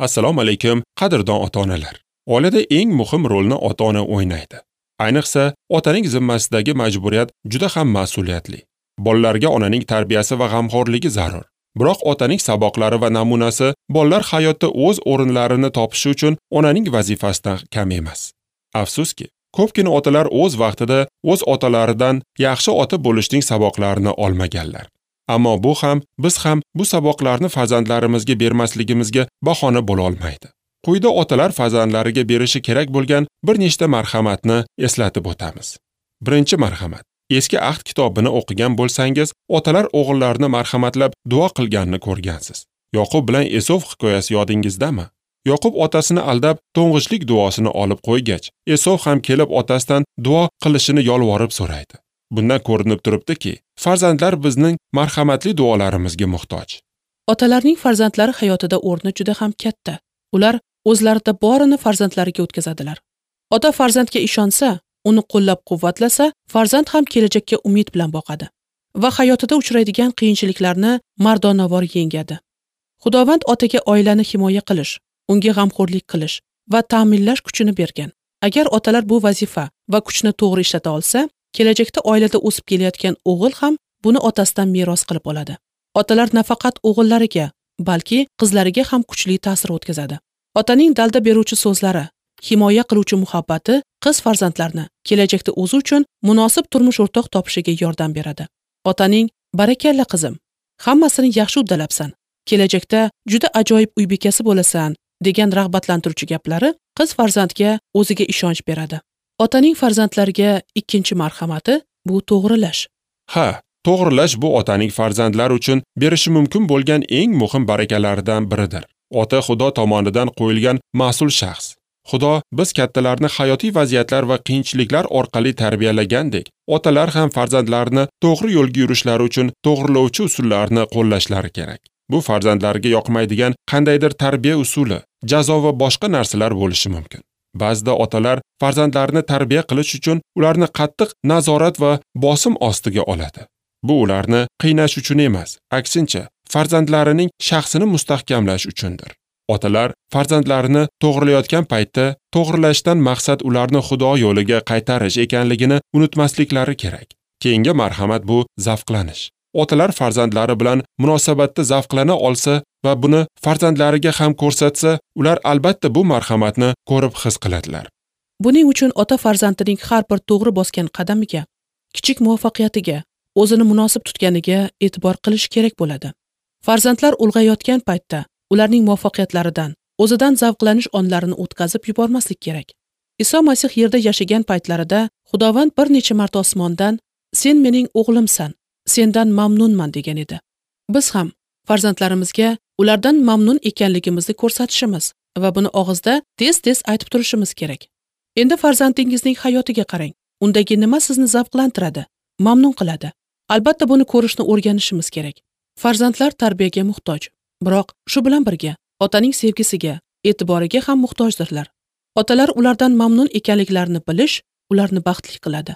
Assalomu alaykum, qadrdon ota-onalar. Oilada eng muhim rolni ota-ona o'ynaydi. Ayniqsa, otaning zimmasidagi majburiyat juda ham mas'uliyatli. Bolalarga onaning tarbiyasi va g'amxo'rligi zarur. Biroq otaning saboqlari va namunasi bolalar hayotda o'z o'rinlarini topishi uchun onaning vazifasidan kam emas. Afsuski, ko'pgina otalar o'z vaqtida o'z otalaridan yaxshi ota bo'lishning saboqlarini olmaganlar. Ammo bu ham, biz ham bu saboqlarni farzandlarimizga bermasligimizga bahona bo'la olmaydi. Quyida otalar farzandlariga berishi kerak bo'lgan bir nechta marhamatni eslatib o'tamiz. Birinchi marhamat. Eski ahd kitobini o'qigan bo'lsangiz, otalar o'g'illarini marhamatlab duo qilganini ko'rgansiz. Yoqub bilan Esov hikoyasi yodingizdami? Yoqub otasini aldab to'ng'ichlik duosini olib qo'ygach, Esov ham kelib otasidan duo qilishini yolvorib so'raydi. Bundan ko'rinib turibdiki, farzandlar bizning marhamatli duolarimizga muhtoj. Otalarning farzandlari hayotida o'rni juda ham katta. Ular o'zlarida borini farzandlariga o'tkazadilar. Ota farzandga ishonsa, uni qo'llab-quvvatlasa, farzand ham kelajakka umid bilan boqadi va hayotida uchraydigan qiyinchiliklarni mardonavor yengadi. Xudovand otaga oilani himoya qilish, unga g'amxo'rlik qilish va ta'minlash kuchini bergan. Agar otalar bu vazifa va kuchni to'g'ri ishlata olsa, kelajakda oilada o'sib kelayotgan o'g'il ham buni otasidan meros qilib oladi. Otalar nafaqat o'g'illariga, balki qizlariga ham kuchli ta'sir o'tkazadi. Otaning dalda beruvchi so'zlari, himoya qiluvchi muhabbati qiz farzandlarni kelajakda o'zi uchun munosib turmush o'rtoq topishiga yordam beradi. Otaning "Barakalla qizim, hammasini yaxshi uddalabsan, kelajakda juda ajoyib uy bekasi bo'lasan" degan rag'batlantiruvchi gaplari qiz farzandga o'ziga ishonch beradi. Otaning farzandlariga ikkinchi marhamati bu to'g'rilash. Ha, to'g'rilash bu otaning farzandlar uchun berishi mumkin bo'lgan eng muhim barakalardan biridir. Ota Xudo tomonidan qo'yilgan mas'ul shaxs. Xudo biz kattalarni hayotiy vaziyatlar va qiyinchiliklar orqali tarbiyalagandek, otalar ham farzandlarini to'g'ri yo'lga yurishlari uchun to'g'rilovchi usullarni qo'llashlari kerak. Bu farzandlarga yoqmaydigan qandaydir tarbiya usuli, jazo va boshqa narsalar bo'lishi mumkin. Ba'zida otalar farzandlarini tarbiya qilish uchun ularni qattiq nazorat va bosim ostiga oladi. Bu ularni qiynash uchun emas, aksincha farzandlarining shaxsini mustahkamlash uchundir. Otalar farzandlarini to'g'rilayotgan paytda to'g'rilashdan maqsad ularni Xudo yo'liga qaytarish ekanligini unutmasliklari kerak. Keyingi marhamat bu zavqlanish. Otalar farzandlari bilan munosabatda zavqlana olsa va buni farzandlariga ham ko'rsatsa, ular albatta bu marhamatni ko'rib his qiladilar. Buning uchun ota farzandining har bir to'g'ri bosgan qadamiga, kichik muvaffaqiyatiga, o'zini munosib tutganiga e'tibor qilish kerak bo'ladi. Farzandlar ulg'ayotgan paytda ularning muvaffaqiyatlaridan, o'zidan zavqlanish onlarini o'tkazib yubormaslik kerak. Iso Masih yerda yashagan paytlarida Xudovand bir necha marta osmondan "Sen mening o'g'limsan, sendan mamnunman" degan edi. Biz ham farzandlarimizga ulardan mamnun ekanligimizni ko'rsatishimiz va buni og'izda tez-tez aytib turishimiz kerak. Endi farzandingizning hayotiga qarang. Undagi nima sizni zavqlantiradi, mamnun qiladi? Albatta buni ko'rishni o'rganishimiz kerak. Farzandlar tarbiyaga muhtoj. Biroq shu bilan birga otaning sevgisiga, e'tiboriga ham muhtojdirlar. Otalar ulardan mamnun ekanliklarini bilish ularni baxtli qiladi.